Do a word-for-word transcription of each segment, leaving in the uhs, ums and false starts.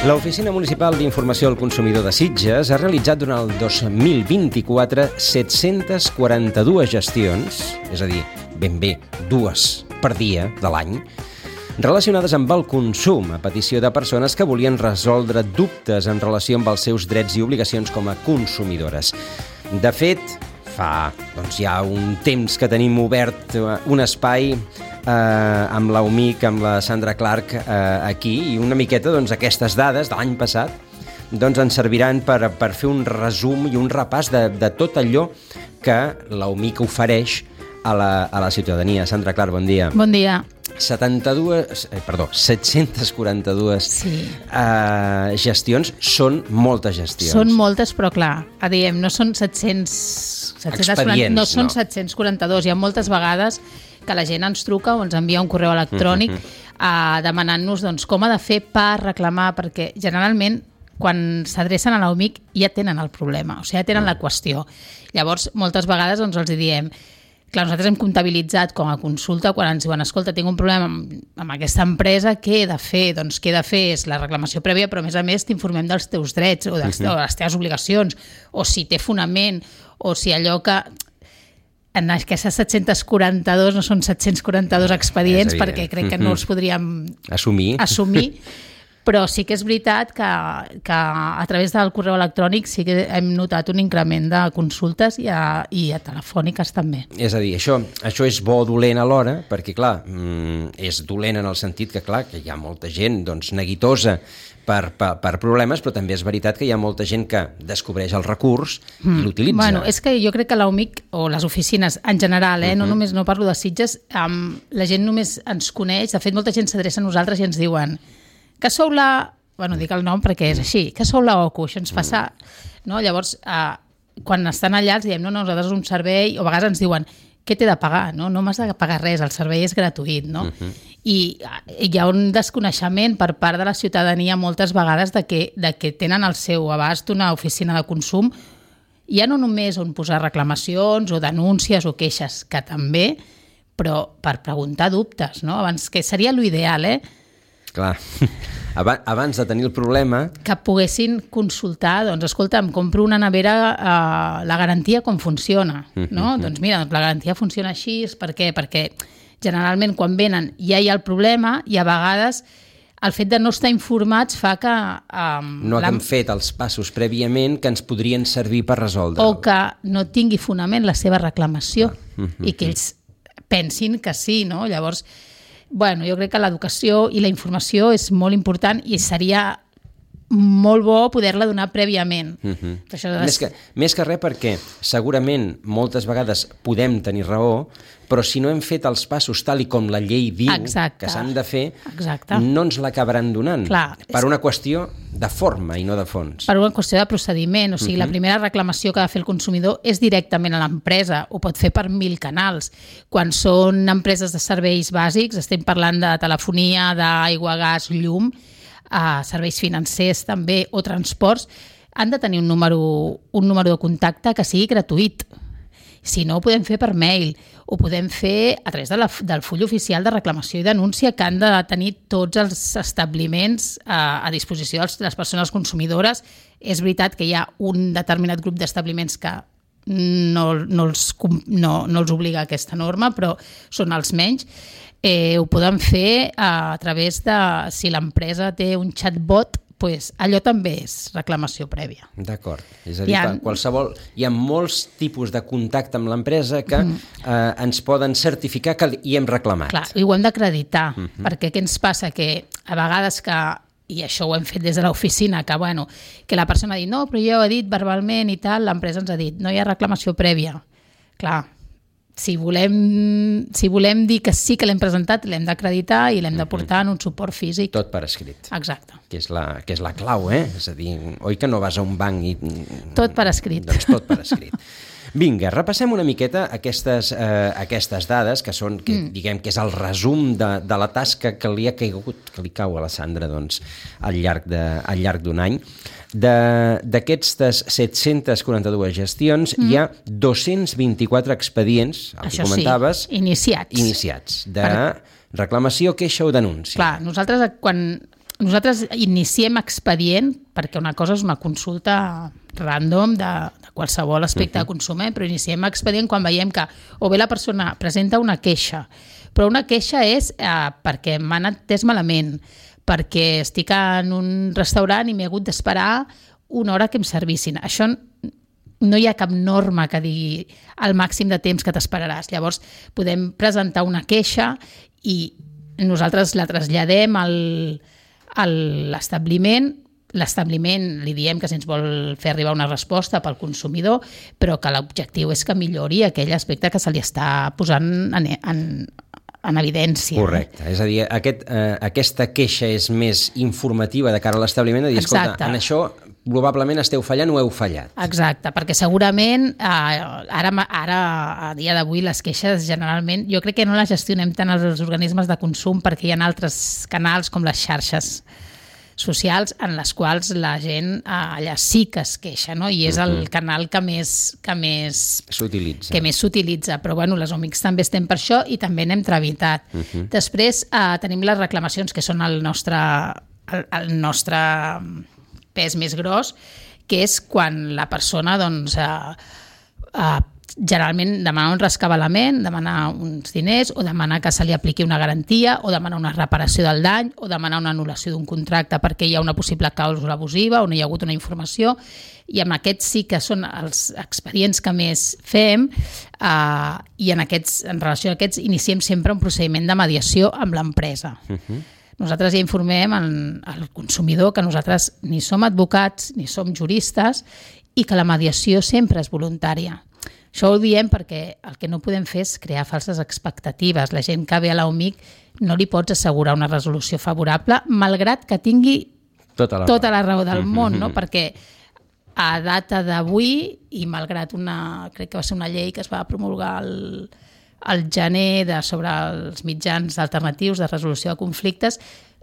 L'Oficina Municipal d'Informació al Consumidor de Sitges ha realitzat durant el dos mil vint-i-quatre set-centes quaranta-dues gestions, és a dir, ben bé dues per dia de l'any, relacionades amb el consum a petició de persones que volien resoldre dubtes en relació amb els seus drets i obligacions com a consumidores. De fet, fa doncs, ja un temps que tenim obert un espai eh, amb la U M I C, amb la Sandra Clark eh, aquí, i una miqueta doncs, aquestes dades de l'any passat doncs, ens serviran per, per fer un resum i un repàs de, de tot allò que la U M I C ofereix a la, a la ciutadania. Sandra Clark, bon dia. Bon dia. setanta-dues, eh, perdó, set-centes quaranta-dues sí. eh, gestions són moltes gestions. Són moltes, però clar, a diem, no són set-cents... Expedients, no són no. set-cents quaranta-dos. Hi ha moltes vegades que la gent ens truca o ens envia un correu electrònic mm-hmm. eh, demanant-nos doncs, com ha de fer per reclamar, perquè generalment quan s'adrecen a la U M I C ja tenen el problema, o sigui, ja tenen mm. la qüestió. Llavors, moltes vegades doncs, els diem... Clar, nosaltres hem comptabilitzat com a consulta quan ens diuen, escolta, tinc un problema amb, amb aquesta empresa, què he de fer? Doncs què he de fer és la reclamació prèvia, però a més a més t'informem dels teus drets o de les, uh-huh. o les teves obligacions, o si té fonament, o si allò que... En aquestes set-cents quaranta-dos no són set-cents quaranta-dos expedients, perquè crec que no els podríem assumir. assumir. Però sí que és veritat que, que a través del correu electrònic sí que hem notat un increment de consultes i a, i a telefòniques també. És a dir, això, això és bo o dolent alhora, perquè clar, és dolent en el sentit que clar, que hi ha molta gent doncs, neguitosa per, per, per problemes, però també és veritat que hi ha molta gent que descobreix el recurs mm. i l'utilitza. Bueno, és que jo crec que la U M I C o les oficines en general, eh, uh-huh. no només no parlo de Sitges, um, la gent només ens coneix, de fet molta gent s'adreça a nosaltres i ens diuen que sou la... Bueno, dic el nom perquè és així, que sou la O C U, això ens passa... No? Llavors, eh, quan estan allà els diem, no, no, nosaltres un servei, o a vegades ens diuen, què t'he de pagar? No, no m'has de pagar res, el servei és gratuït, no? Uh-huh. I, I hi ha un desconeixement per part de la ciutadania moltes vegades de que, de que tenen al seu abast una oficina de consum, ja no només on posar reclamacions o denúncies o queixes, que també, però per preguntar dubtes, no? Abans, que seria l'ideal, eh? Clar, abans de tenir el problema... Que poguessin consultar, doncs, escolta, em compro una nevera, eh, la garantia com funciona, no? Mm-hmm. Doncs mira, la garantia funciona així, per què? Perquè generalment quan venen ja hi ha el problema i a vegades el fet de no estar informats fa que... Um, no haguem la... fet els passos prèviament que ens podrien servir per resoldre. O que no tingui fonament la seva reclamació mm-hmm. i que ells pensin que sí, no? Llavors... Bueno, jo crec que l'educació i la informació és molt important i seria molt bo poder-la donar prèviament. Uh-huh. Això és... més, que, més que res perquè segurament moltes vegades podem tenir raó, però si no hem fet els passos tal i com la llei diu Exacte. Que s'han de fer, Exacte. No ens l'acabaran donant. Clar, per una qüestió de forma i no de fons. Per una qüestió de procediment. O sigui, uh-huh. la primera reclamació que ha de fer el consumidor és directament a l'empresa. Ho pot fer per mil canals. Quan són empreses de serveis bàsics, estem parlant de telefonia, d'aigua, gas, llum, a serveis financers també o transports, han de tenir un número, un número de contacte que sigui gratuït. Si no, ho podem fer per mail, ho podem fer a través de la, del full oficial de reclamació i denúncia que han de tenir tots els establiments a, a disposició de les persones consumidores. És veritat que hi ha un determinat grup d'establiments que no, no, els, no, no els obliga aquesta norma, però són els menys. Eh, ho podem fer a través de, si l'empresa té un chatbot, pues allò també és reclamació prèvia. D'acord. És a dir, hi ha... qualsevol, hi ha molts tipus de contacte amb l'empresa que mm. eh, ens poden certificar que hi hem reclamat. Clar, i ho hem d'acreditar, mm-hmm. perquè què ens passa? Que a vegades que, i això ho hem fet des de l'oficina, que, bueno, que la persona ha dit, no, però jo ho he dit verbalment i tal, l'empresa ens ha dit, no hi ha reclamació prèvia. Clar, Si volem, si volem dir que sí que l'hem presentat, l'hem d'acreditar i l'hem de portar en un suport físic. Tot per escrit. Exacte. Que és la, que és la clau, eh? És a dir, oi que no vas a un banc i... Tot per escrit. Doncs tot per escrit. Vinga, repassem una miqueta aquestes, eh, aquestes dades, que són, que, mm. diguem, que és el resum de, de la tasca que li ha caigut, que li cau a la Sandra, doncs, al llarg de, al llarg d'un any. D'aquestes set-centes quaranta-dues gestions mm. hi ha dos-cents vint-i-quatre expedients, el Això que comentaves, sí, iniciats. iniciats de per... reclamació, queixa o denúncia. Clar, nosaltres quan nosaltres iniciem expedient, perquè una cosa és una consulta random de, de qualsevol aspecte uh-huh. de consum, eh? Però iniciem expedient quan veiem que o bé la persona presenta una queixa, però una queixa és eh, perquè m'han atès malament, perquè estic en un restaurant i m'he hagut d'esperar una hora que em servissin. Això no hi ha cap norma que digui el màxim de temps que t'esperaràs. Llavors podem presentar una queixa i nosaltres la traslladem al, a l'establiment. L'establiment li diem que si ens vol fer arribar una resposta pel consumidor, però que l'objectiu és que millori aquell aspecte que se li està posant en, en, en evidència. Correcte. És a dir, aquest, eh, aquesta queixa és més informativa de cara a l'establiment, de dir, escolta, en això probablement esteu fallant o heu fallat. Exacte, perquè segurament eh, ara, ara a dia d'avui les queixes generalment, jo crec que no les gestionem tant els organismes de consum perquè hi ha altres canals com les xarxes socials en les quals la gent eh, allà sí que es queixa, no? I és el uh-huh. canal que més que més s'utilitza. Que més s'utilitza, però bueno, les O M I Cs també estem per això i també n'hem tramitat. Uh-huh. Després eh, tenim les reclamacions, que són el nostre el, el nostre pes més gros, que és quan la persona doncs, eh, eh, generalment demana un rescabalament, demana uns diners o demana que se li apliqui una garantia o demana una reparació del dany o demana una anul·lació d'un contracte perquè hi ha una possible clàusula abusiva o no hi ha hagut una informació, i amb aquests sí que són els expedients que més fem eh, i en, aquests, en relació a aquests iniciem sempre un procediment de mediació amb l'empresa. Uh-huh. Nosaltres ja informem al consumidor que nosaltres ni som advocats ni som juristes i que la mediació sempre és voluntària. Això ho diem perquè el que no podem fer és crear falses expectatives. La gent que ve a la O M I C no li pots assegurar una resolució favorable, malgrat que tingui tota la, tota la raó del món, no? Perquè a data d'avui, i malgrat una, crec que va ser una llei que es va promulgar el al gener de, sobre els mitjans alternatius de resolució de conflictes,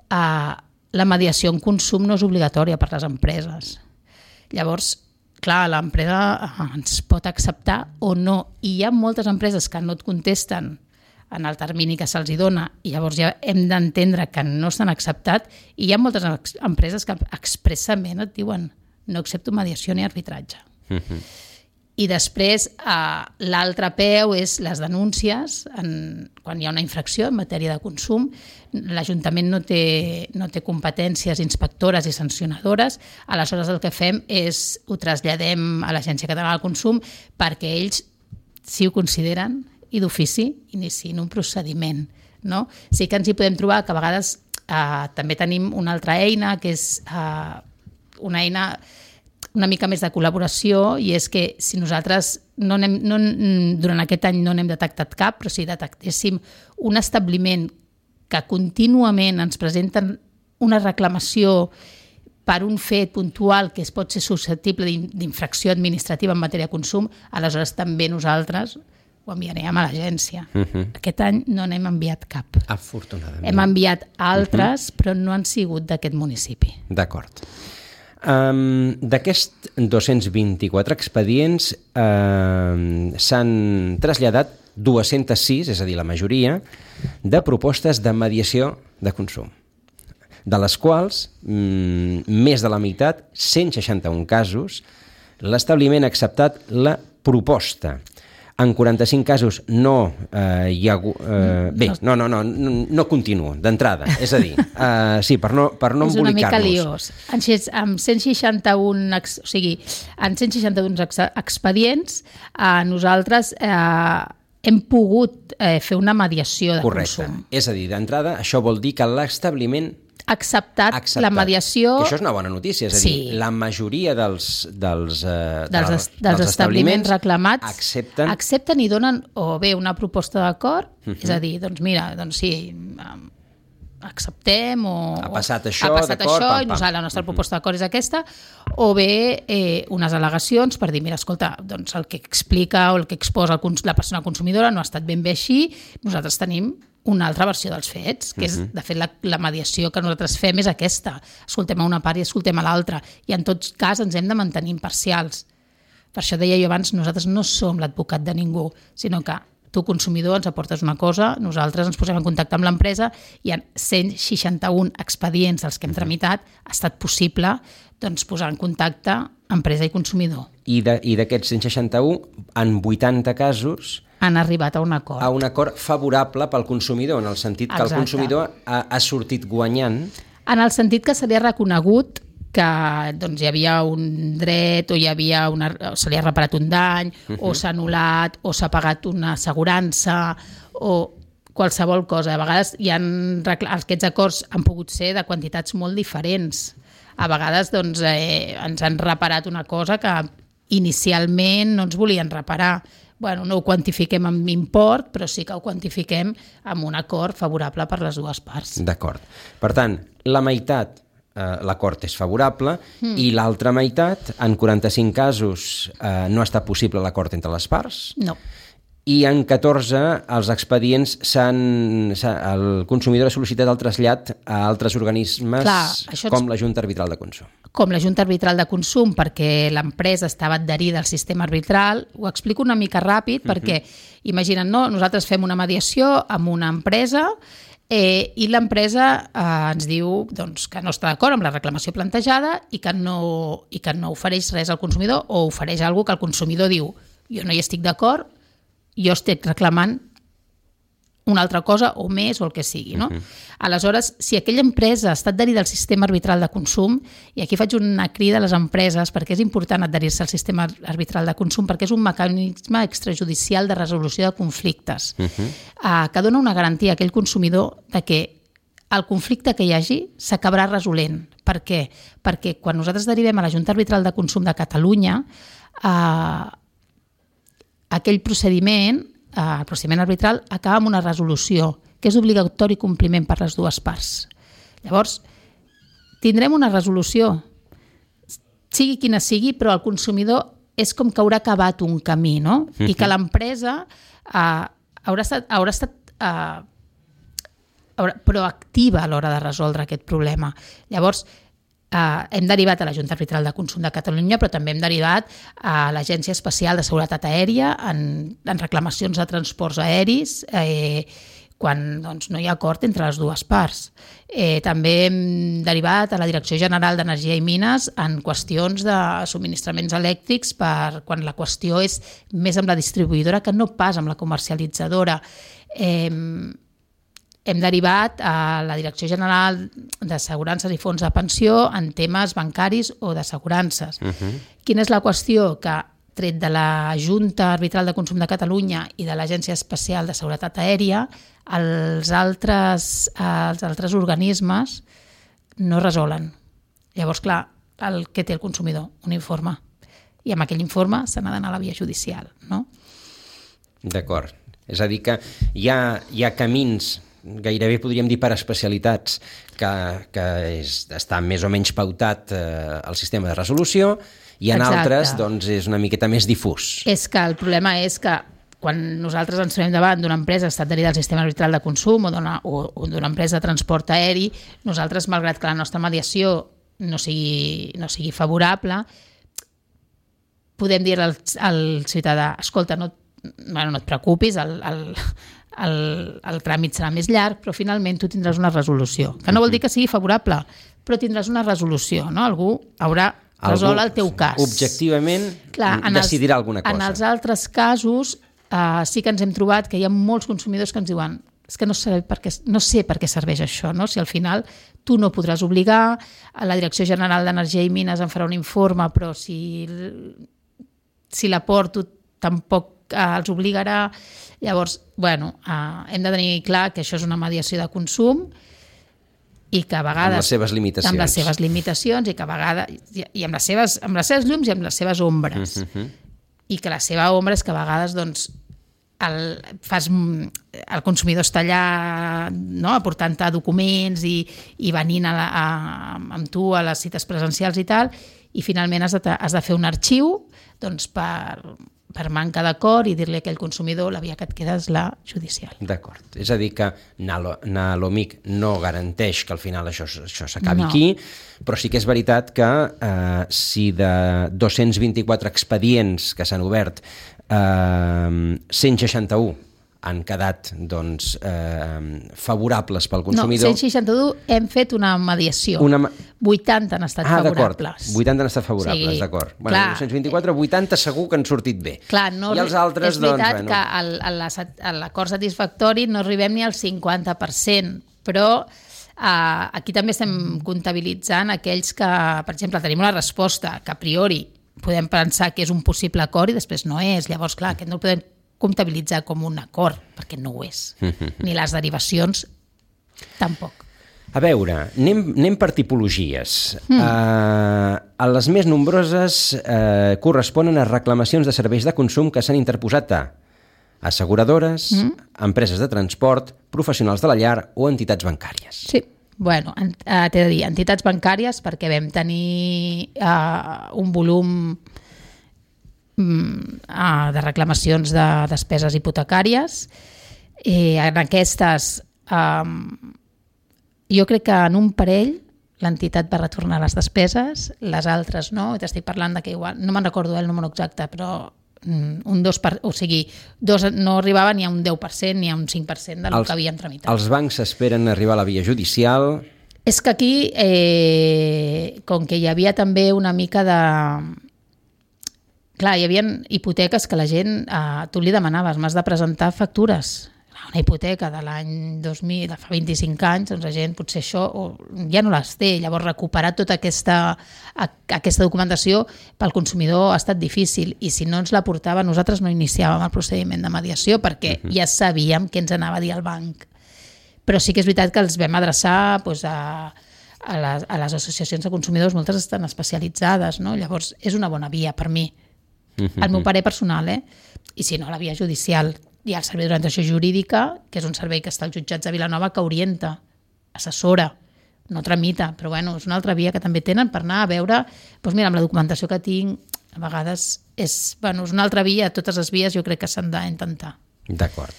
eh, la mediació en consum no és obligatòria per les empreses. Llavors, clar, l'empresa ens pot acceptar o no, i hi ha moltes empreses que no et contesten en el termini que se'ls dona i llavors ja hem d'entendre que no s'han acceptat, i hi ha moltes empreses que expressament et diuen no accepto mediació ni arbitratge. Uh-huh. I després eh, l'altre peu és les denúncies. En, quan hi ha una infracció en matèria de consum, l'Ajuntament no té, no té competències inspectores i sancionadores, aleshores el que fem és ho traslladem a l'Agència Catalana del Consum perquè ells, si ho consideren i d'ofici, iniciïn un procediment. No? Sí que ens hi podem trobar que a vegades eh, també tenim una altra eina que és eh, una eina una mica més de col·laboració, i és que si nosaltres no anem, no, durant aquest any no n'hem detectat cap, però si detectéssim un establiment que contínuament ens presenten una reclamació per un fet puntual que es pot ser susceptible d'infracció administrativa en matèria de consum, aleshores també nosaltres ho enviarem a l'agència. Uh-huh. Aquest any no n'hem enviat cap. Afortunadament. Hem enviat altres, uh-huh. però no han sigut d'aquest municipi. D'acord. Um, d'aquests dos-cents vint-i-quatre expedients uh, s'han traslladat dues-centes sis, és a dir, la majoria, de propostes de mediació de consum, de les quals mm, més de la meitat, cent seixanta-un casos, l'establiment ha acceptat la proposta. En quaranta-cinc casos no eh, hi ha... Eh, bé, no, no, no, no, no continuo, d'entrada. És a dir, eh, sí, per no, per no embolicar-nos. És una mica liós. En, en cent seixanta-un, o sigui, en cent seixanta-un expedients, eh, nosaltres eh, hem pogut eh, fer una mediació de Correcte. Consum. És a dir, d'entrada, això vol dir que l'establiment acceptat, acceptat la mediació... Que això és una bona notícia, és a sí. dir, la majoria dels, dels, eh, dels, dels, dels establiments reclamats accepten... accepten i donen o bé una proposta d'acord, uh-huh. és a dir, doncs mira, doncs sí, acceptem o... Ha passat això, ha passat d'acord, això pam, i nosaltres, la nostra uh-huh. proposta d'acord és aquesta, o bé eh, unes al·legacions per dir, mira, escolta, doncs el que explica o el que exposa la persona consumidora no ha estat ben bé així, nosaltres tenim una altra versió dels fets, que és, de fet, la, la mediació que nosaltres fem és aquesta. Escoltem a una part i escoltem a l'altra. I en tot cas ens hem de mantenir imparcials. Per això deia jo abans, nosaltres no som l'advocat de ningú, sinó que tu, consumidor, ens aportes una cosa, nosaltres ens posem en contacte amb l'empresa i en cent seixanta-un expedients dels que hem tramitat ha estat possible doncs, posar en contacte empresa i consumidor. I d'aquests cent seixanta-un, en vuitanta casos han arribat a un acord. A un acord favorable pel consumidor, en el sentit que Exacte. El consumidor ha, ha sortit guanyant. En el sentit que se li ha reconegut que doncs, hi havia un dret o hi havia una, o se li ha reparat un dany, uh-huh. o s'ha anul·lat, o s'ha pagat una assegurança, o qualsevol cosa. A vegades hi ha, aquests acords han pogut ser de quantitats molt diferents. A vegades doncs, eh, ens han reparat una cosa que inicialment no ens volien reparar. Bueno, no ho quantifiquem amb import, però sí que ho quantifiquem amb un acord favorable per les dues parts. D'acord. Per tant, la meitat eh, l'acord és favorable mm. i l'altra meitat, en quaranta-cinc casos, eh, no ha estat possible l'acord entre les parts. No. I en catorze els expedients s'han, el consumidor ha sol·licitat el trasllat a altres organismes Clar, com ens... la Junta Arbitral de Consum. Com la Junta Arbitral de Consum, perquè l'empresa estava adherida al sistema arbitral. Ho explico una mica ràpid, uh-huh. perquè, imagina't, no? Nosaltres fem una mediació amb una empresa eh, i l'empresa eh, ens diu doncs, que no està d'acord amb la reclamació plantejada i que, no, i que no ofereix res al consumidor o ofereix alguna cosa que el consumidor diu jo no hi estic d'acord, jo estic reclamant una altra cosa o més o el que sigui. No? Uh-huh. Aleshores, si aquella empresa està adherida al sistema arbitral de consum, i aquí faig una crida a les empreses perquè és important adherir-se al sistema arbitral de consum perquè és un mecanisme extrajudicial de resolució de conflictes uh-huh. uh, que dona una garantia a aquell consumidor de que el conflicte que hi hagi s'acabarà resolent. Per què? Perquè quan nosaltres derivem a la Junta Arbitral de Consum de Catalunya, eh, aquell procediment, eh, el procediment arbitral, acaba amb una resolució que és obligatori compliment per les dues parts. Llavors, tindrem una resolució, sigui quina sigui, però el consumidor és com que haurà acabat un camí, no? Uh-huh. I que l'empresa eh, haurà estat, haurà estat eh, haurà, proactiva a l'hora de resoldre aquest problema. Llavors, Uh, hem derivat a la Junta Arbitral de Consum de Catalunya, però també hem derivat a l'Agència Especial de Seguretat Aèria en, en reclamacions de transports aeris eh, quan doncs, no hi ha acord entre les dues parts. Eh, també hem derivat a la Direcció General d'Energia i Mines en qüestions de subministraments elèctrics per quan la qüestió és més amb la distribuïdora que no pas amb la comercialitzadora. Eh, Hem derivat a la Direcció General d'Assegurances i Fons de Pensió en temes bancaris o d'assegurances. Uh-huh. Quina és la qüestió? Que, tret de la Junta Arbitral de Consum de Catalunya i de l'Agència Especial de Seguretat Aèria, els altres, els altres organismes no resolen. Llavors, clar, el que té el consumidor? Un informe. I amb aquell informe se n'ha d'anar a la via judicial, no? D'acord. És a dir, que hi ha, hi ha camins gairebé podríem dir per especialitats que, que és, està més o menys pautat eh, el sistema de resolució i en Exacte. Altres doncs, és una miqueta més difús. És que el problema és que quan nosaltres ens trobem davant d'una empresa que està adherida al sistema arbitral de consum o d'una, o, o d'una empresa de transport aeri, nosaltres, malgrat que la nostra mediació no sigui, no sigui favorable, podem dir al, al ciutadà, escolta, no, bueno, no et preocupis, el, el, el, el tràmit serà més llarg, però finalment tu tindràs una resolució. Que no vol dir que sigui favorable, però tindràs una resolució, no? Algú haurà resolt el teu cas. Objectivament Clar, decidirà els, alguna cosa. En els altres casos eh, sí que ens hem trobat que hi ha molts consumidors que ens diuen és que no sé per què, no sé per què serveix això, no? Si al final tu no podràs obligar, la Direcció General d'Energia i Mines em farà un informe, però si, si l'aporto tampoc els obligarà. Llavors, bueno, eh, hem de tenir clar que això és una mediació de consum i que a vegades... Amb les seves limitacions. Amb les seves limitacions i que a vegades... I amb les seves, amb les seves llums i amb les seves ombres. Uh-huh. I que la seva ombra és que a vegades, doncs, el, fas, el consumidor està allà, no?, aportant-te documents i, i venint a la, a, amb tu a les cites presencials i tal, i finalment has de, has de fer un arxiu doncs, per... per manca d'acord i dir-li a aquell consumidor la via que et queda és la judicial. D'acord. És a dir que Nalomic no garanteix que al final això, això s'acabi no. aquí, però sí que és veritat que eh, si de dos-cents vint-i-quatre expedients que s'han obert, eh, cent seixanta-un han quedat doncs, eh, favorables pel No, consumidor. cent seixanta-u hem fet una mediació. Una... vuitanta han estat ah, favorables. vuitanta han estat favorables, Sí, d'acord. Bueno, clar. dos-cents vint-i-quatre, vuitanta segur que han sortit bé. Clar, no, I els altres, és veritat doncs, bueno. que al- a la sat- a l'acord satisfactori no arribem ni al cinquanta per cent, però eh, aquí també estem comptabilitzant aquells que, per exemple, tenim una resposta que a priori podem pensar que és un possible acord i després no és. Llavors, clar, aquest no el podem comptabilitzar com un acord, perquè no ho és. Ni les derivacions, tampoc. A veure, anem, anem per tipologies. Mm. Uh, a les més nombroses uh, corresponen a reclamacions de serveis de consum que s'han interposat a asseguradores, mm. empreses de transport, professionals de la llar o entitats bancàries. Sí, bueno, en- eh, t'he de dir, entitats bancàries perquè vam tenir eh, un volum mm, eh, de reclamacions de despeses hipotecàries. Eh, en aquestes, eh, jo crec que en un parell l'entitat va retornar les despeses, les altres no, i t'estic parlant de que igual, no me'n recordo el número exacte, però mm, un dos per, o sigui, dos no arribava ni a un deu per cent ni a un cinc per cent del Els- que havien tramitat. Els bancs esperen arribar a la via judicial. És que aquí, eh, com que hi havia també una mica de... Clar, hi havia hipoteques que la gent, eh, tu li demanaves, m'has de presentar factures. Una hipoteca de l'any dos mil, de fa vint-i-cinc anys, doncs la gent potser això o, ja no les té. Llavors recuperar tota aquesta, a, aquesta documentació pel consumidor ha estat difícil i si no ens la portava, nosaltres no iniciàvem el procediment de mediació perquè uh-huh. ja sabíem què ens anava a dir el banc. Però sí que és veritat que els vam adreçar doncs, a, a, les, a les associacions de consumidors, moltes estan especialitzades, no? Llavors és una bona via per mi, el meu parer personal, eh? I si no, la via judicial. Hi ha el servei d'orientació jurídica, que és un servei que està als jutjats de Vilanova, que orienta, assessora, no tramita, però bueno, és una altra via que també tenen per anar a veure, doncs mira, amb la documentació que tinc, a vegades és, bueno, és una altra via, totes les vies jo crec que s'han d'intentar. D'acord.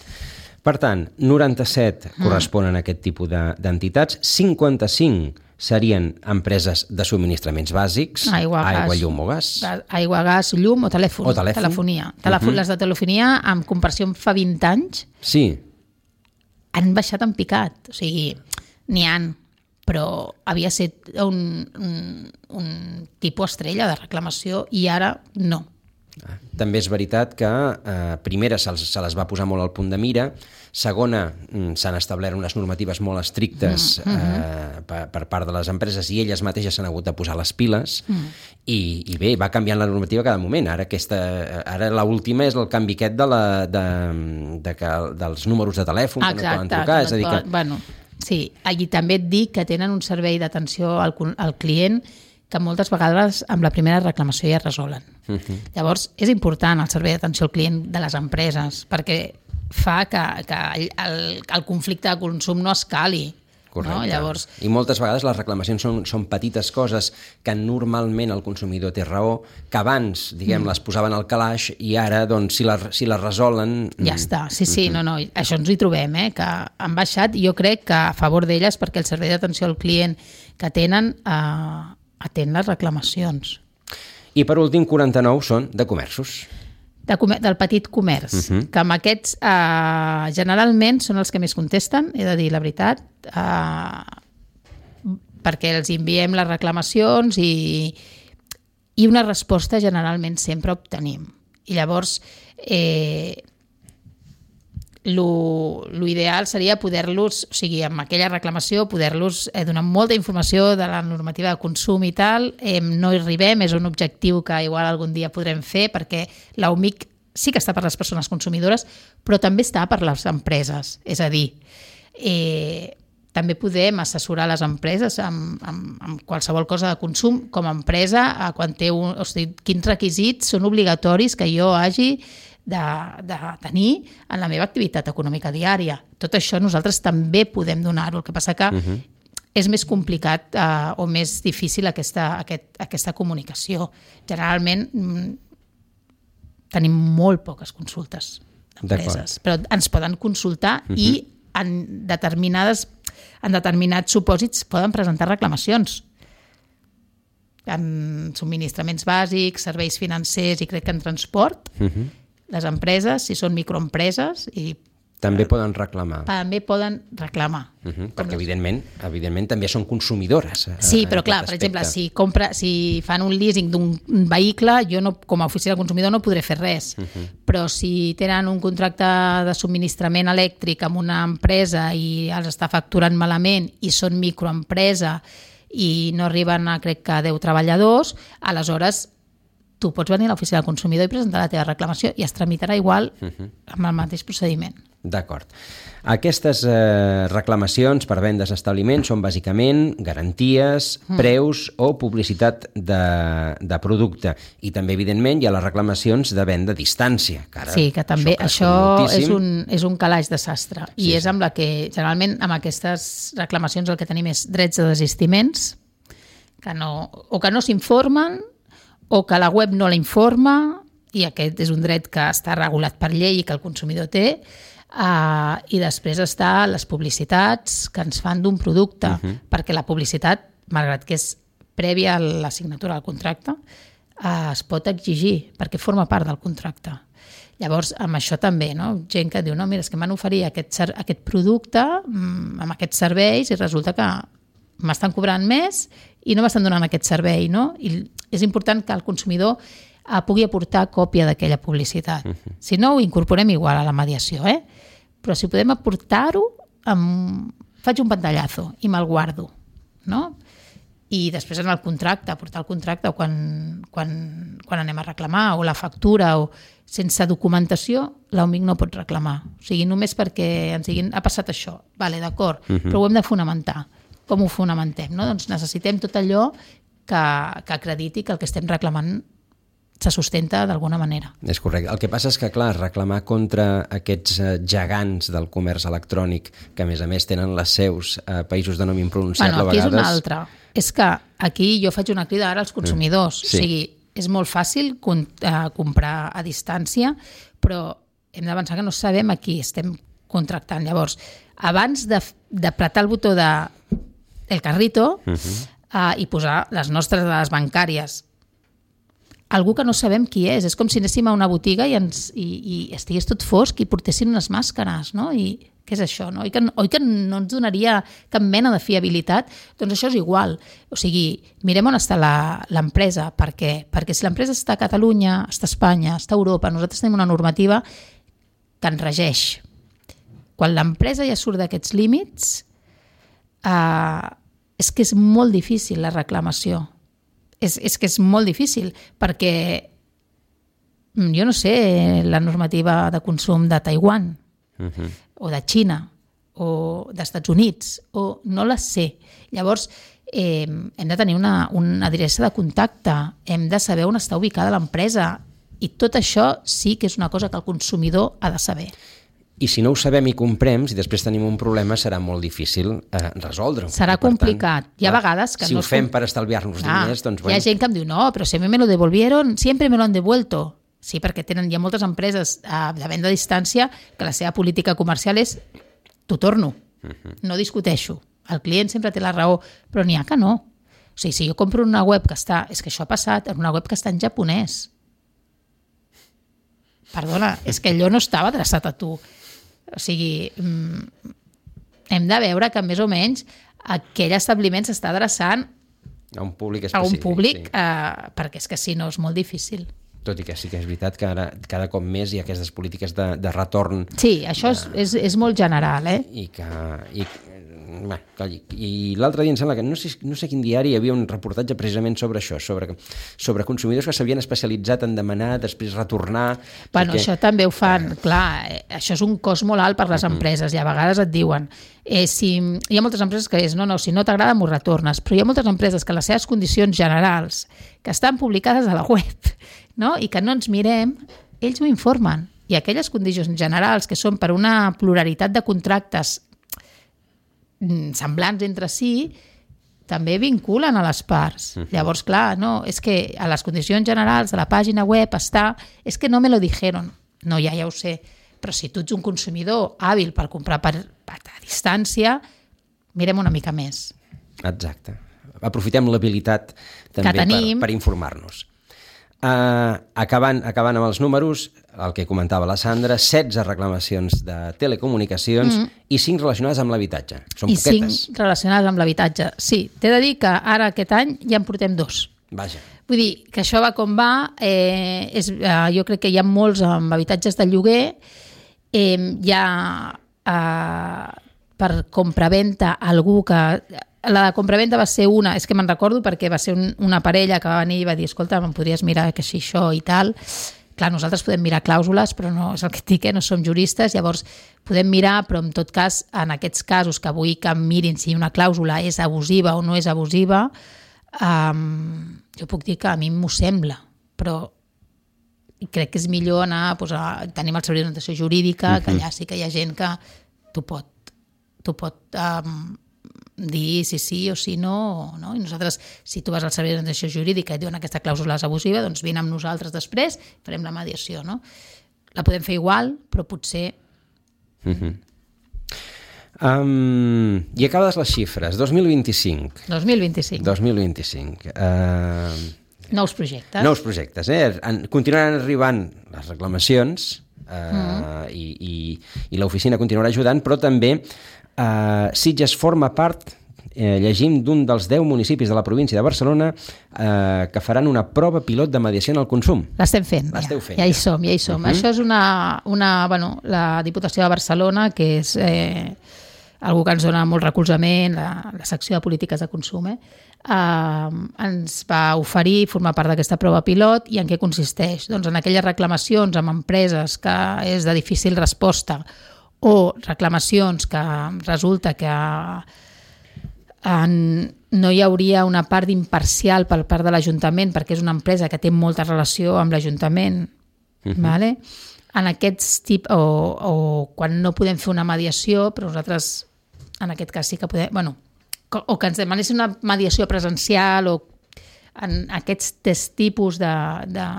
Per tant, noranta-set mm. corresponen a aquest tipus de- d'entitats, cinquanta-cinc serien empreses de subministraments bàsics, Aigua, aigua gas. llum o gas. Ga- Aigua, gas, llum o telèfon. O telèfon. Telefonia. Telefon, Mhm. Les de telefonia, en comparació amb fa vint anys, Sí, han baixat en picat. O sigui, n'hi han, però havia estat un, un, un tipus estrella de reclamació i ara no. també és veritat que eh, primera se, se les va posar molt al punt de mira, segona mm, s'han establert unes normatives molt estrictes mm, eh, per, per part de les empreses i elles mateixes s'han hagut de posar les piles mm. i, i bé, va canviant la normativa cada moment. Ara aquesta, ara l'última és el canvi aquest de la, de, de que, dels números de telèfon que no poden trucar. És a dir que... Bueno, sí, allí també et dic que tenen un servei d'atenció al, al client que moltes vegades amb la primera reclamació ja resolen. Uh-huh. Llavors, és important el servei d'atenció al client de les empreses perquè fa que, que el, el conflicte de consum no escali. Correcte. No? Llavors, I moltes vegades les reclamacions són, són petites coses que normalment el consumidor té raó, que abans, diguem, mm. les posaven al calaix i ara, doncs, si les, si les resolen... ja està. Sí, sí, no, no. Això ens hi trobem, eh? Que han baixat i jo crec que a favor d'elles perquè el servei d'atenció al client que tenen eh, atén les reclamacions. I per últim, quaranta-nou són de comerços. De comer del petit comerç, uh-huh. que amb aquests eh, generalment són els que més contesten, he de dir la veritat, eh, perquè els enviem les reclamacions i, i una resposta generalment sempre obtenim. I llavors, eh, lo, lo ideal seria poder-los, o sigui, amb aquella reclamació, poder-los eh, donar molta informació de la normativa de consum i tal. Eh, no hi arribem, és un objectiu que igual algun dia podrem fer, perquè l'U M I C sí que està per les persones consumidores, però també està per les empreses. És a dir, eh, també podem assessorar les empreses amb, amb, amb qualsevol cosa de consum com a empresa, a quan té un, o sigui, quins requisits són obligatoris que jo hagi de, de tenir en la meva activitat econòmica diària. Tot això nosaltres també podem donar-ho. El que passa que uh-huh. és més complicat eh, o més difícil aquesta, aquest, aquesta comunicació. Generalment mm, tenim molt poques consultes d'empreses, però ens poden consultar uh-huh. i en determinades en determinats supòsits poden presentar reclamacions en subministraments bàsics, serveis financers i crec que en transport. Uh-huh. Les empreses, si són microempreses i També poden reclamar. També poden reclamar. Uh -huh, perquè, evidentment, evidentment, també són consumidores. Sí, però clar, per exemple, si, compra, si fan un leasing d'un vehicle, jo no, com a oficina del consumidor no podré fer res. Uh -huh. Però si tenen un contracte de subministrament elèctric amb una empresa i els està facturant malament i són microempresa i no arriben a, crec que, deu treballadors, aleshores tu pots venir a l'oficina del consumidor i presentar la teva reclamació i es tramitarà igual uh -huh. amb el mateix procediment. D'acord. Aquestes eh, reclamacions per vendes a establiments són bàsicament garanties, mm. preus o publicitat de, de producte. I també, evidentment, hi ha les reclamacions de venda a distància. Que ara, sí, que també això, això és, un, és un calaix de sastre. I sí, és amb la que, generalment, amb aquestes reclamacions el que tenim és drets de desistiments, que no, o que no s'informen, o que la web no la informa, i aquest és un dret que està regulat per llei i que el consumidor té. Uh, i després està les publicitats que ens fan d'un producte, uh -huh. perquè la publicitat, malgrat que és prèvia a la signatura del contracte, uh, es pot exigir perquè forma part del contracte. Llavors, amb això també, no? Gent que diu, no, mira, és que m'han oferit aquest, aquest producte mm, amb aquests serveis i resulta que m'estan cobrant més i no m'estan donant aquest servei, no? I és important que el consumidor uh, pugui aportar còpia d'aquella publicitat. Uh -huh. Si no, ho incorporem igual a la mediació, eh? Però si podem aportar-ho, amb... faig un pantallazo i me'l guardo, no? I després en el contracte, aportar el contracte o quan, quan, quan anem a reclamar, o la factura, o sense documentació, l'O M I C no pot reclamar. O sigui, només perquè ens diguin, ha passat això, vale, d'acord, uh-huh. però ho hem de fonamentar. Com ho fonamentem? No? Doncs necessitem tot allò que, que acrediti que el que estem reclamant se sustenta d'alguna manera. És correcte. El que passa és que, clar, reclamar contra aquests gegants del comerç electrònic, que a més a més tenen les seus a països de nom impronunciable, bueno, aquí a vegades... és una altra. És que aquí jo faig una crida ara als consumidors. Sí. O sigui, és molt fàcil comprar a distància, però hem de pensar que no sabem a qui estem contractant. Llavors, abans d'apretar el botó de el carrito uh-huh. uh, i posar les nostres dades bancàries, algú que no sabem qui és. És com si anéssim a una botiga i, ens, i, i estigués tot fosc i portessin unes màscares, no? I què és això, no? Oi que, oi que no ens donaria cap mena de fiabilitat? Doncs això és igual. O sigui, mirem on està l'empresa. Per què? Perquè si l'empresa està a Catalunya, està a Espanya, està a Europa, nosaltres tenim una normativa que ens regeix. Quan l'empresa ja surt d'aquests límits, eh, és que és molt difícil la reclamació. És, és que és molt difícil, perquè jo no sé la normativa de consum de Taiwan, uh-huh. o de Xina, o d'Estats Units, o no la sé. Llavors, eh, hem de tenir una, una adreça de contacte, hem de saber on està ubicada l'empresa, i tot això sí que és una cosa que el consumidor ha de saber. I si no ho sabem i comprem, si després tenim un problema, serà molt difícil eh, resoldre-ho. Serà complicat. Tant, hi ha vegades que si no... Si ho fem com... per estalviar-nos ah, diners, doncs... Bueno. Hi ha gent que em diu, no, però si a mi me lo devolvieron, siempre me lo han devuelto. Sí, perquè tenen, hi ha moltes empreses eh, de venda a distància que la seva política comercial és t'ho torno, uh-huh. no discuteixo. El client sempre té la raó, però n'hi ha que no. O sigui, si jo compro una web que està... És que això ha passat, en una web que està en japonès. Perdona, és que allò no estava adreçat a tu. O sigui, hem de veure que més o menys aquell establiment s'està adreçant a un públic específic. A un públic, sí. eh, perquè és que si no és molt difícil. Tot i que sí que és veritat que ara cada cop més hi ha aquestes polítiques de, de retorn. Sí, això és, és, és molt general, eh? I que... I, bé, i l'altre dia em sembla que no sé, no sé quin diari hi havia un reportatge precisament sobre això, sobre, sobre consumidors que s'havien especialitzat en demanar, després retornar... Bueno, perquè... això també ho fan, eh... clar, eh, això és un cost molt alt per les uh-huh. empreses i a vegades et diuen, eh, si, hi ha moltes empreses que és, no, no, si no t'agrada m'ho retornes, però hi ha moltes empreses que les seves condicions generals, que estan publicades a la web, no? I que no ens mirem, ells ho informen. I aquelles condicions generals que són per una pluralitat de contractes semblants entre si, també vinculen a les parts. Uh-huh. Llavors, clar, no, és que a les condicions generals de la pàgina web està, és que no me lo dijeron. No, ja, ja ho sé. Però si tu ets un consumidor hàbil per comprar per, per a distància, mirem una mica més. Exacte. Aprofitem l'habilitat també per, per informar-nos. Uh, acabant, acabant amb els números, el que comentava la Sandra, setze reclamacions de telecomunicacions mm. i cinc relacionades amb l'habitatge. Són I poquetes. I cinc relacionades amb l'habitatge. Sí, t'he de dir que ara aquest any ja en portem dos. Vaja. Vull dir que això va com va. Eh, és, eh, jo crec que hi ha molts amb habitatges de lloguer. Eh, hi ha eh, per compraventa algú que... La de compraventa va ser una, és que me'n recordo perquè va ser un, una parella que va venir i va dir escolta, em podries mirar que així això i tal. Clar, nosaltres podem mirar clàusules, però no és el que et dic, eh? No som juristes, llavors podem mirar, però en tot cas, en aquests casos que vull que mirin si una clàusula és abusiva o no és abusiva, um, jo puc dir que a mi m'ho sembla, però crec que és millor anar doncs, a tenir el servei d'orientació jurídica, uh-huh. que allà sí que hi ha gent que t'ho pot, t'ho pot um, dir si sí o si no, no. I nosaltres, si tu vas al servei d'orientació jurídica i et diuen aquesta clàusula és abusiva, doncs vine amb nosaltres després, farem la mediació, no? La podem fer igual, però potser... Uh-huh. Um, I acabes les xifres, dos mil vint-i-cinc. dos mil vint-i-cinc. dos mil vint-i-cinc. Uh, nous projectes. Nous projectes, eh? En, continuaran arribant les reclamacions uh, mm. i, i, i l'oficina continuarà ajudant, però també Uh, Sitges forma part, eh, llegim, d'un dels deu municipis de la província de Barcelona eh, que faran una prova pilot de mediació en el consum. L'estem fent, L'esteu ja, fent. ja hi som, ja hi som. Uh-huh. Això és una, una, bueno, la Diputació de Barcelona, que és eh, algú que ens dona molt recolzament, la, la secció de polítiques de consum, eh, eh, ens va oferir formar part d'aquesta prova pilot. I en què consisteix? Doncs en aquelles reclamacions amb empreses que és de difícil resposta o reclamacions que resulta que en, no hi hauria una part imparcial per part de l'Ajuntament perquè és una empresa que té molta relació amb l'Ajuntament, uh-huh. vale? En aquests tipus, o, o quan no podem fer una mediació, però nosaltres en aquest cas sí que podem, bueno, o que ens demanessin una mediació presencial o en aquests tipus de, de,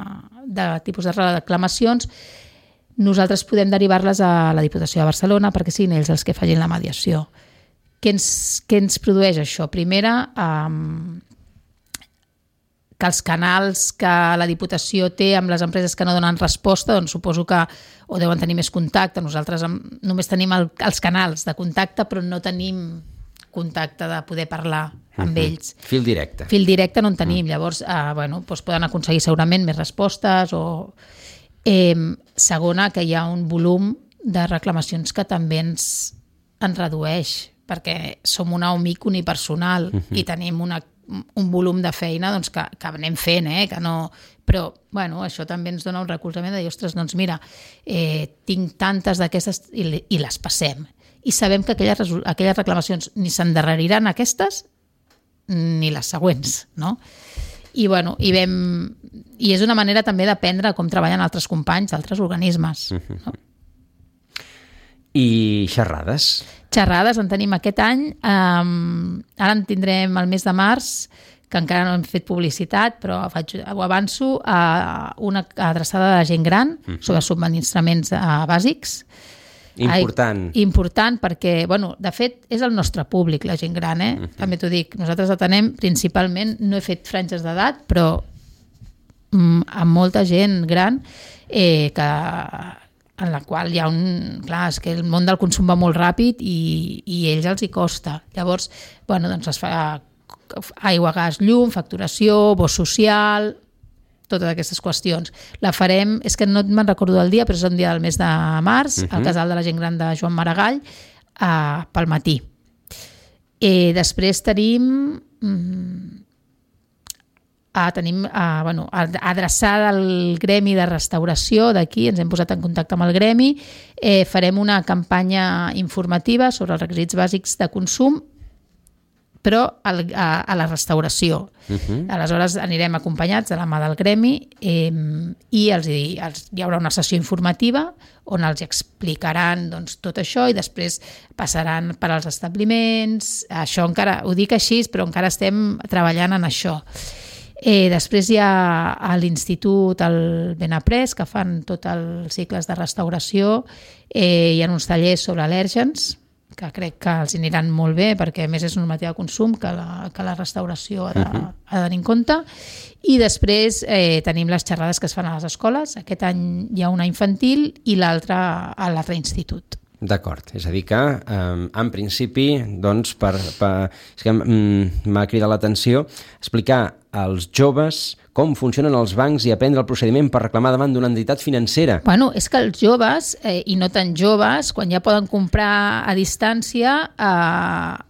de tipus de reclamacions, nosaltres podem derivar-les a la Diputació de Barcelona perquè siguin ells els que facin la mediació. Què ens, què ens produeix això? Primera, um, que els canals que la Diputació té amb les empreses que no donen resposta, doncs suposo que o deuen tenir més contacte. Nosaltres només tenim el, els canals de contacte, però no tenim contacte de poder parlar amb uh-huh. ells. Fil directe. Fil directe no en tenim. Uh-huh. Llavors, uh, bueno, doncs poden aconseguir segurament més respostes o... Eh, segona, que hi ha un volum de reclamacions que també ens, ens redueix, perquè som una O M I C unipersonal uh-huh. i tenim una, un volum de feina doncs, que, que anem fent, eh, que no... però bueno, això també ens dona un recolzament de dir, ostres, doncs mira, eh, tinc tantes d'aquestes i, i les passem. I sabem que aquelles, aquelles reclamacions ni s'endarreriran aquestes ni les següents, no? I, bueno, i, vam, i és una manera també d'aprendre com treballen altres companys d'altres organismes. Uh-huh. No? I xerrades? Xerrades en tenim aquest any. Um, ara en tindrem el mes de març, que encara no hem fet publicitat, però faig, ho avanço, a una adreçada de la gent gran uh-huh. sobre subministraments uh, bàsics. Important. Ai, important perquè, bueno, de fet, és el nostre públic, la gent gran, eh? Uh-huh. També t'ho dic, nosaltres atenem principalment, no he fet franges d'edat, però mm, amb molta gent gran eh, que, en la qual hi ha un... Clar, és que el món del consum va molt ràpid i, i a ells els hi costa. Llavors, bueno, doncs es fa aigua, gas, llum, facturació, bo social... totes aquestes qüestions. La farem, és que no me'n recordo del dia, però és un dia del mes de març, uh-huh. al casal de la gent gran de Joan Maragall, eh, pel matí. Eh, després tenim... Mm, ah, tenim ah, bueno, adreçada al gremi de restauració d'aquí, ens hem posat en contacte amb el gremi, eh, farem una campanya informativa sobre els requisits bàsics de consum, però a, a, a la restauració. Uh-huh. Aleshores anirem acompanyats de la mà del gremi eh, i els, els, hi haurà una sessió informativa on els explicaran doncs, tot això i després passaran per als establiments. Això encara, ho dic així, però encara estem treballant en això. Eh, després hi ha a l'Institut el Benaprés, que fan tots els cicles de restauració, eh, hi ha uns tallers sobre al·lèrgens, que crec que els aniran molt bé, perquè a més és normativa de consum que la, que la restauració ha de, uh-huh. ha de tenir en compte. I després eh, tenim les xerrades que es fan a les escoles. Aquest any hi ha una infantil i l'altra a l'altre institut. D'acord, és a dir que eh, en principi doncs, per, per, és que m'ha cridat l'atenció explicar als joves com funcionen els bancs i aprendre el procediment per reclamar davant d'una entitat financera. Bueno, és que els joves, eh, i no tan joves, quan ja poden comprar a distància, eh,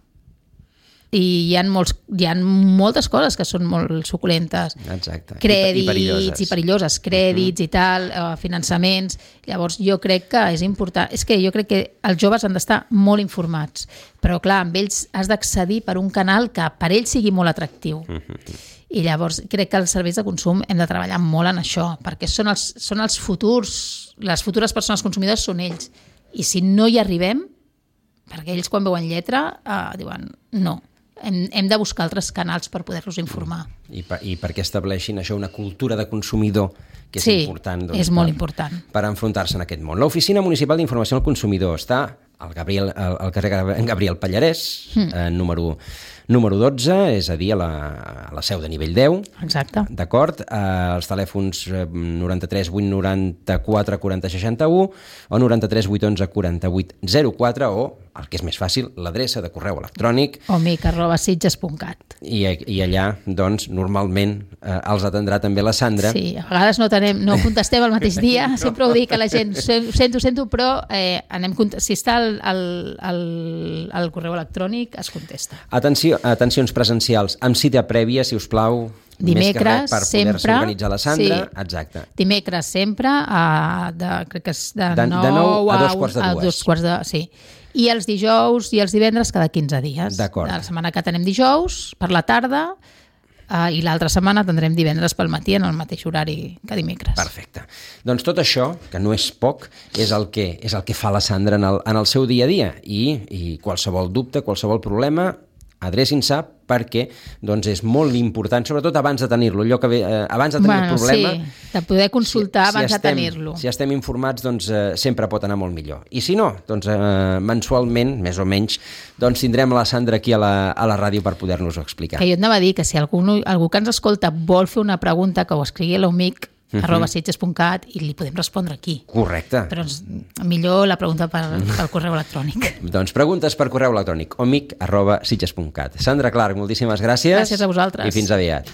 i hi ha, molts, hi ha moltes coses que són molt suculentes. Exacte. Crèdits I, i perilloses. I perilloses, crèdits uh-huh. i tal, eh, finançaments. Llavors jo crec que és important, és que jo crec que els joves han d'estar molt informats, però clar, amb ells has d'accedir per un canal que per ells sigui molt atractiu. Uh-huh. I llavors crec que els serveis de consum hem de treballar molt en això, perquè són els, són els futurs, les futures persones consumidors són ells. I si no hi arribem, perquè ells quan veuen lletra eh, diuen no, hem, hem de buscar altres canals per poder-los informar. I, per, I perquè estableixin això, una cultura de consumidor que és sí, important. Doncs, és molt per, important. Per enfrontar-se en aquest món. L'Oficina Municipal d'Informació al Consumidor està al, Gabriel, al, al carrer Gabriel Pallarès, mm. eh, número, número dotze, és a dir, a la, a la seu de nivell deu. Exacte. D'acord? Eh, els telèfons noranta-tres vuit noranta-quatre quaranta seixanta-u o noranta-tres vuit onze quaranta-vuit zero quatre o, el que és més fàcil, l'adreça de correu electrònic omic arroba sitges punt cat. I, i allà, doncs, normalment eh, els atendrà també la Sandra. Sí, a vegades no, tenem, no contestem el mateix dia, no. Sempre ho dic a la gent, ho sento, sento, però eh, anem, si està al, al, al, al correu electrònic es contesta. Atenció, atencions presencials, amb cita prèvia, si us plau, dimecres, més que res, per sempre, poder-se organitzar la Sandra. Sí. Exacte. Dimecres sempre, a, de, crec que és de, de, nou, de nou a dos quarts de a dues. dos quarts de, sí. I els dijous i els divendres cada quinze dies. D'acord. La setmana que tenem dijous per la tarda eh, i l'altra setmana tindrem divendres pel matí en el mateix horari que dimecres. Perfecte. Doncs tot això, que no és poc, és el que, és el que fa la Sandra en el, en el seu dia a dia. I, i qualsevol dubte, qualsevol problema, adrecin-se perquè doncs, és molt important, sobretot abans de tenir-lo, allò que ve, eh, abans de tenir bueno, el problema... Sí, de poder consultar si, abans si estem, de tenir-lo. Si estem informats, doncs eh, sempre pot anar molt millor. I si no, doncs eh, mensualment, més o menys, doncs tindrem la Sandra aquí a la, a la ràdio per poder-nos-ho explicar. Que jo et anava a dir que si algú, algú que ens escolta vol fer una pregunta, que ho escrigui a l'omic, Uh-huh. arroba sitges punt cat i li podem respondre aquí. Correcte. Però ens, millor la pregunta per, pel correu electrònic. Doncs preguntes per correu electrònic omic arroba sitges punt cat. Sandra Clark, moltíssimes gràcies. Gràcies a vosaltres. I fins aviat.